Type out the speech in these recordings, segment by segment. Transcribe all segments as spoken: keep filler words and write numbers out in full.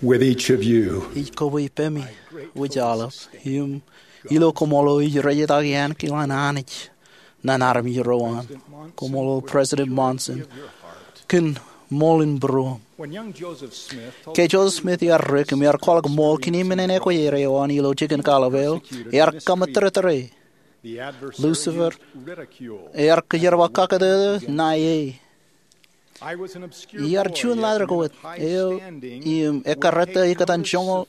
With each of you, ij kobwe ippaṃi wōj aolep im ilo koṃṃool eo ij rejetaki ankilaan Anij ñan armej ro an. Koṃṃool President Monson kōn ṃool in būruōṃ. Ke Joseph Smith ear dik im ear kwaḷọk ṃool kōn men in ekwōj er eo an ilo jikin kaḷap eo, ear kaṃōttōrtōre. Lucifer ear kōjerbal kakōtōktōk ṇae e. Iar juon ḷadik wōt eo im ekkar ettā ikōtaan joñoul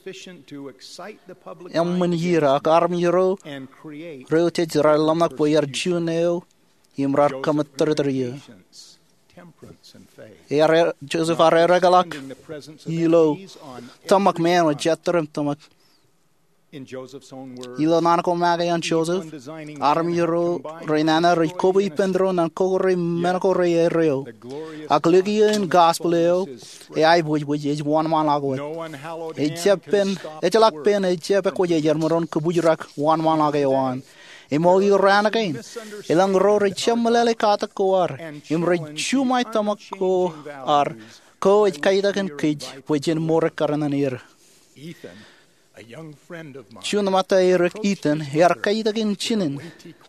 eṃṃan iiō, ak armej ro rej ḷōmṇak bwe iar juon eo im raar kaṃōttōrtōr eō. Ear, Joseph ear ereḷọk ilo tōmak, men eo ejjeḷọk tōmak. Ilo naan ko make an Joseph, armej ro renana rej kobwe ippān doon ñan kōkōrā men ko reaer eo. Ak likio in gospel eo, eaiboojoj, ej wōnṃaanḷọk wōt. Ejjeḷọk pen, ejjeḷọk pen ejjab ekwōj ej iar maroñ kōbōjrak wōnṃaanḷọk eo an. Im ilo raan kein, elōñ ro rej jab meḷeḷe katak ko ad im rej juṃae tōmak ko ad. Ko ej kaitōk in kōj bwe jen mour ekkar ñan er. Juon ṃōtta erik, Ethan, ear kaitōk in jinen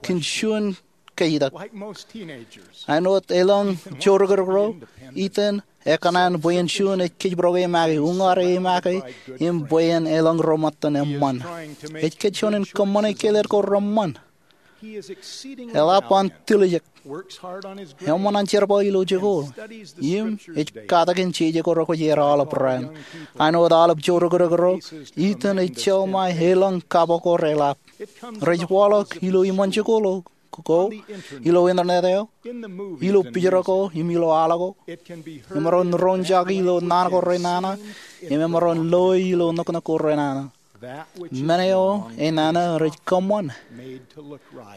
kōn juon kaitōk. Āinwōt elōñ joorōkrōk ro, Ethan ekōṇaan bwe en juon ej kōjparok e make, uññaer e make, im bwe en elōñ ro ṃōttan eṃṃan. Ej kōjjeḷā in kōṃṃane kellet ko reṃṃan. Eḷap an tiljek. Eṃṃan an jerbal ilo jikuuḷ. Im ej katakin jeje ko rekwōj er aolep raan. Āinwōt aolep joorōkrōk ro, Ethan ej jeḷā ṃae elōñ kapo ko reḷap. Rej waḷọk ilo iṃōn jikuuḷ ko, ilo internet eo, ilo pijrō ko, im ilo al ko. Emaroñ roñjake ilo naan ko renana, im emaroñ loe ilo nōknōk ko renana. Men eo enana rej kōṃṃan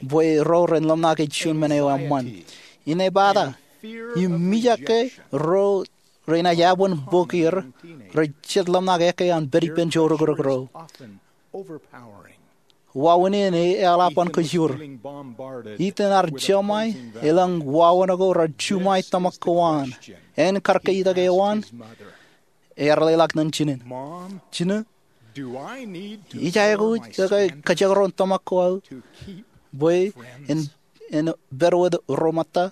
bwe ro ren ḷōmṇak ej juon men eo eṃṃan. Inepata, im mijak ke ro renaaj eban bōk er, rej jet ḷōmṇak ekkā an pād ippān joorōkrōk ro. Wāween in eḷap an kōjur. Ethan ear jeḷā ṃae elōñ wāween ko raar juṃae tōmak ko an. Āne kar kaitōk eo an, ear leḷọk ñan jinen, Jinen, ij aikuj ke kōjekdọọn tōmak ko aō bwe en, en pād wōt ro ṃōtta?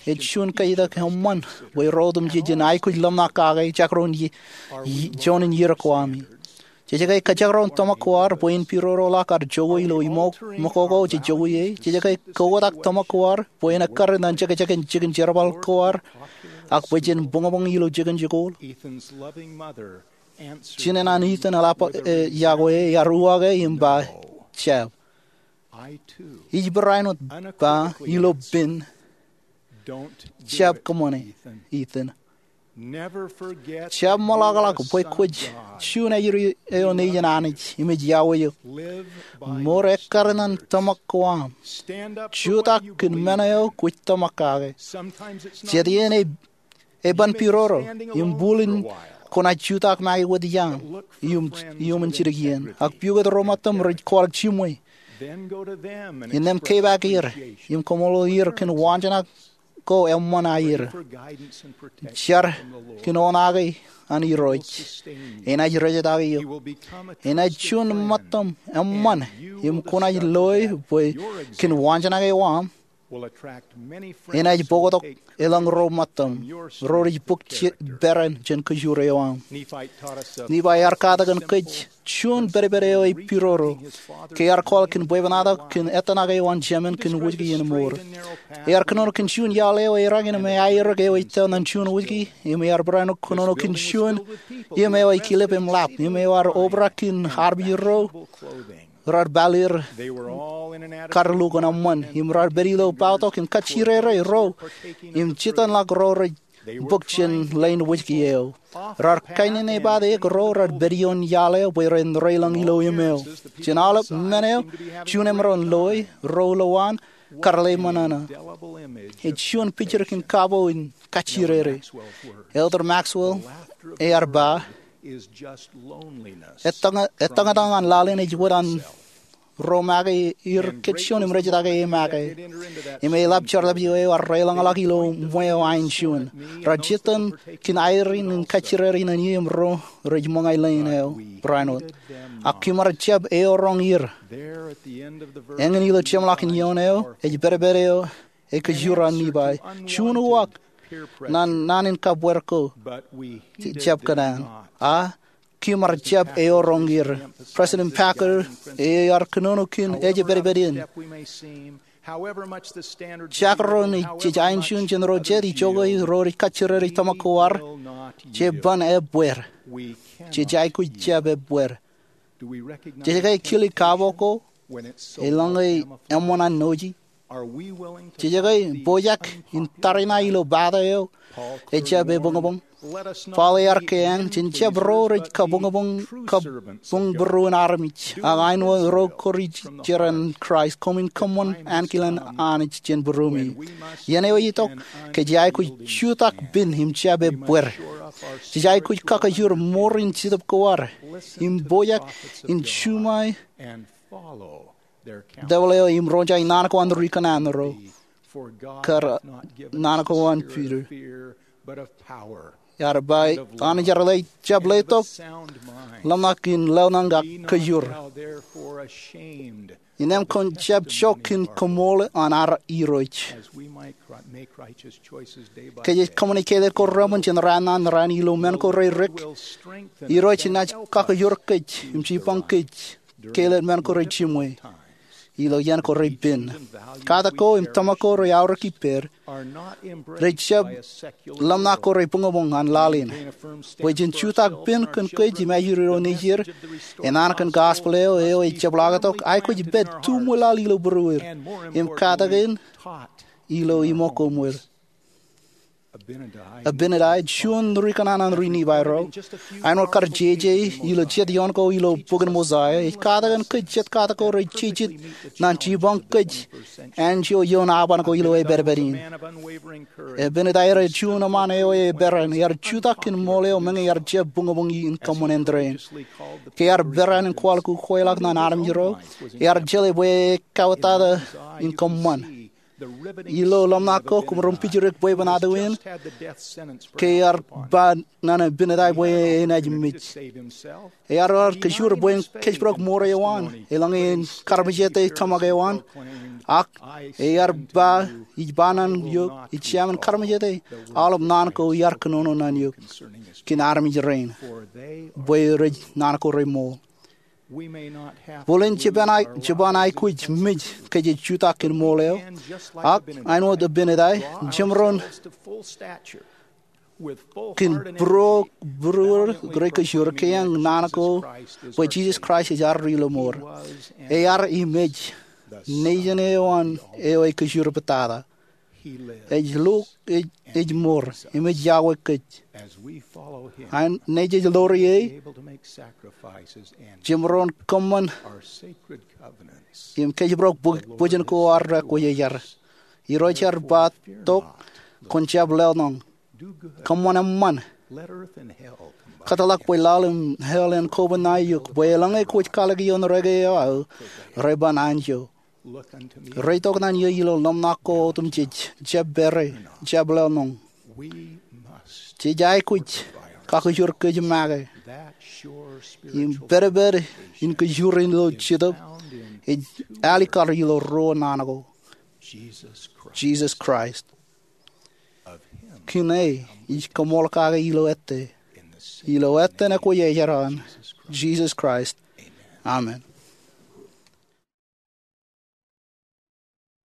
Ej juon kaitōk eṃṃan bwe ro otemjej en aikuj ḷōmṇak kake jekdọọn i, i, juon in iiō ko ami. Jej ke kōjekdọọn tōmak ko ad bwe en pidodoḷọk ad jowi ilo iṃōk, iṃōk ko jej jowi e? Jej ke kotak tōmak ko ad bwe en ekkar ñan jekjek in jikin jerbal ko ad, ak bwe jen buñbuñ ilo jikin jikuuḷ? Jinen an Ethan eḷap, e, iọkwe e, ear uwaak e im ba, jab. Ij barāinwōt ba ilo pen, jab kōṃṃane, Ethan. Jab ṃōḷakḷọk bwe kwōj juon ajri eo nejin Anij im ej iọkwe eok. Mour ekkar ñan tōmak ko aṃ. Jutak kōn men eo kwōj tōmak kake. Jet iien e eban pidodo, im bwilin kwōnaaj jutak make wōt iaam iuṃwin jidik iien. Ak pukot ro ṃōttam rej kwaḷọk jiṃwe. Innām kepaak er im koṃṃool er kōn waanjoñak ko eṃṃan aer. Jar kōn oṇaake an Irooj. Enaaj rejetaki eok. Enaaj juon ṃōttam eṃṃan, im kwōnaaj loe bwe kōn waanjoñak eo aṃ enaaj bōktok elōñ ro ṃōttam ro rej bōk peran jān kōjur eo aṃ. Nifai ear katakin kōj juon pedped eo ej pidodo ke ear kwaḷọk kōn bwebwenato kōn ettōṇak eo an jemān kōn wōjke iien mour. Ear kōnono kōn juon iaḷ eo eran im aerōk eo ej tōl ñan juon wōjke, im ear barāinwōt kōnono kōn juon im eo ej kilep im ḷap, im ear obrak kōn armej ro raar pāleer karlukun eṃṃan, im raar pād ilo bōktok im kajjirere ro, im jitōnḷọk ro rej bōk jān leen wōjke eo. Raar kainene epaak ro raar pād ioon iaḷ eo bwe ren reilañ ilo im eo. Jān aolep men eo, juon emaroñ loe, ro ilowaan, kar ḷe ṃōṇōṇō. Ej juon pijir kōn kapo in kajjirere. Elder Maxwell ear ba, ettōñōtōñ an laḷ in ej wōt an ro make er kōj juon im rej take e make. Im eḷap jerbal eo ear deḷọñḷọk ilo ṃweo ain juon. Rej jitōñ kōn airin in kajjirere ñan eō im ro rej ṃōñā leen eo barāinwōt. Ak kōm ar jab eoroñ er. Eñin ilo jeṃḷọkin ioon eo, ej pedped eo e kōjro an Nifai. Juon uwaak ñan naan in kabwebwe ko, jab kōṇaan. A kōm ar jab eoroñ er. President Packer ear kōnono kōn ej pedped in. Jekdọọn ej ain juon jān ro jet, ijoko ro rej kajjirere tōmak ko ad, jej ban ebbeer. Jej aikuj jab ebbeer. Jej ke kile kabo ko eḷaññe eṃṃan an noji? Jej ke pojak in tariṇae ilo pata eo ejjab ebuñbuñ? Paul ear kein, jen jab ro rej kabuñbuñ, kabuñbūruon armej, ak āinwōt ro kōrā jeran Kraist, koṃwin kōṃṃan ankilaan Anij jān būruemi. Iien eo ej itok, kōj aikuj jutak pen im jab ebbeer. Jej aikuj kakajoor ṃoor in Jetōb ko ad im pojak in juṃae debwāāl eo im roñjake naan ko an ri kōṇaan ro, kar naan ko an Piter. Ear ba, Anij ear jab letok ḷōmṇak in lōḷñọñ ak kajoor. Innām kwōn jab jokwe in kōṃṃool an ad Irooj. Ke jej kōṃṃane kāālōt ko reṃwin jān raan ñan raan ilo men ko reirik, Irooj enaaj kakajoor kōj im jipañ kōj kāālōt men ko rejiṃwe ilo iien ko repen. Katak ko im tōmak ko rej aorōk ippāer, rej jab ḷōmṇak ko rebuñbuñ an laḷ in. Bwe jen jutak pen kōn kōj im ajri ro nejier, e naan kōn gospel eo, eo ej jepḷaaktok, aikuj pād tuṃwe laḷ ilo būruer im katakin ilo iṃōk ko ṃweo. Abinadi, juon ri kōṇaan an ri Nifai ro, āinwōt kar jeje ilo jet ioon ko ilo bokin Mosaia, ej katakin kōj jet katak ko rej jejjet ñan jipañ kōj anjọ ioon aban ko ilo epedped in. Abinadi ej juon eṃṃan eo eperan, ear jutak kōn ṃool eo meñe ear jab buñbuñ in kōṃṃan āindein. Ke ear peran in kwaḷọk ukweḷọk ñan armej ro, ear jeḷā bwe e kauwōtata in kōṃṃan. Ilo ḷōmṇak ko, koṃ ro im pijriik bwebwenato in, ke ear ba ñan Abinadi bwe enaaj mej. Ear ear kajoor bwe en kōjparok ṃoor eo an, eḷaññe en karmejete tōmak eo an. Ak ear ba, ij ba ñan eok, ij jab karmejete aolep naan ko iar kōnono ñan eok kōn armej rein, bwe rej naan ko reṃool. Bōlen jeban aikuj mej ke jej jutak kōn ṃool eo, ak āinwōt Abinadi, jemaroñ kōn būruo, būruer rej kajoor, kein naan ko bwe Jisōs Kraist ej ad Ri-lọmọọr. Ear im ej nejin eo an eo ej kajoor pād tata. Ej lo, ej, ej ṃool, im ej iọkwe kōj. An nejej ḷoor ie, jemaroñ kōṃṃan im kōjparok bōk bwijin ko ad rekwōjarjar. Irooj ear ba tok, kwōn jab lọñọñ. Kōṃṃan eṃṃan. Kōtḷọk bwe laḷ im hell en koba ṇae eok, bwe eḷaññe kwōj kalōk ioon reke eo aō, reban anjọ. Reitok ñan eō ilo ḷōmṇak ko otemjej, jab pere, jab lọñọñ. Jej aikuj kakajoor kōj make. Im pedped in kajoor ilo Jetōb ej alikkar ilo ruo naan ko, Jisōs Kraist. Kōn e ij koṃṃool kake ilo ettā, ilo etan ekwōjarjar an Jisōs Kraist, amen.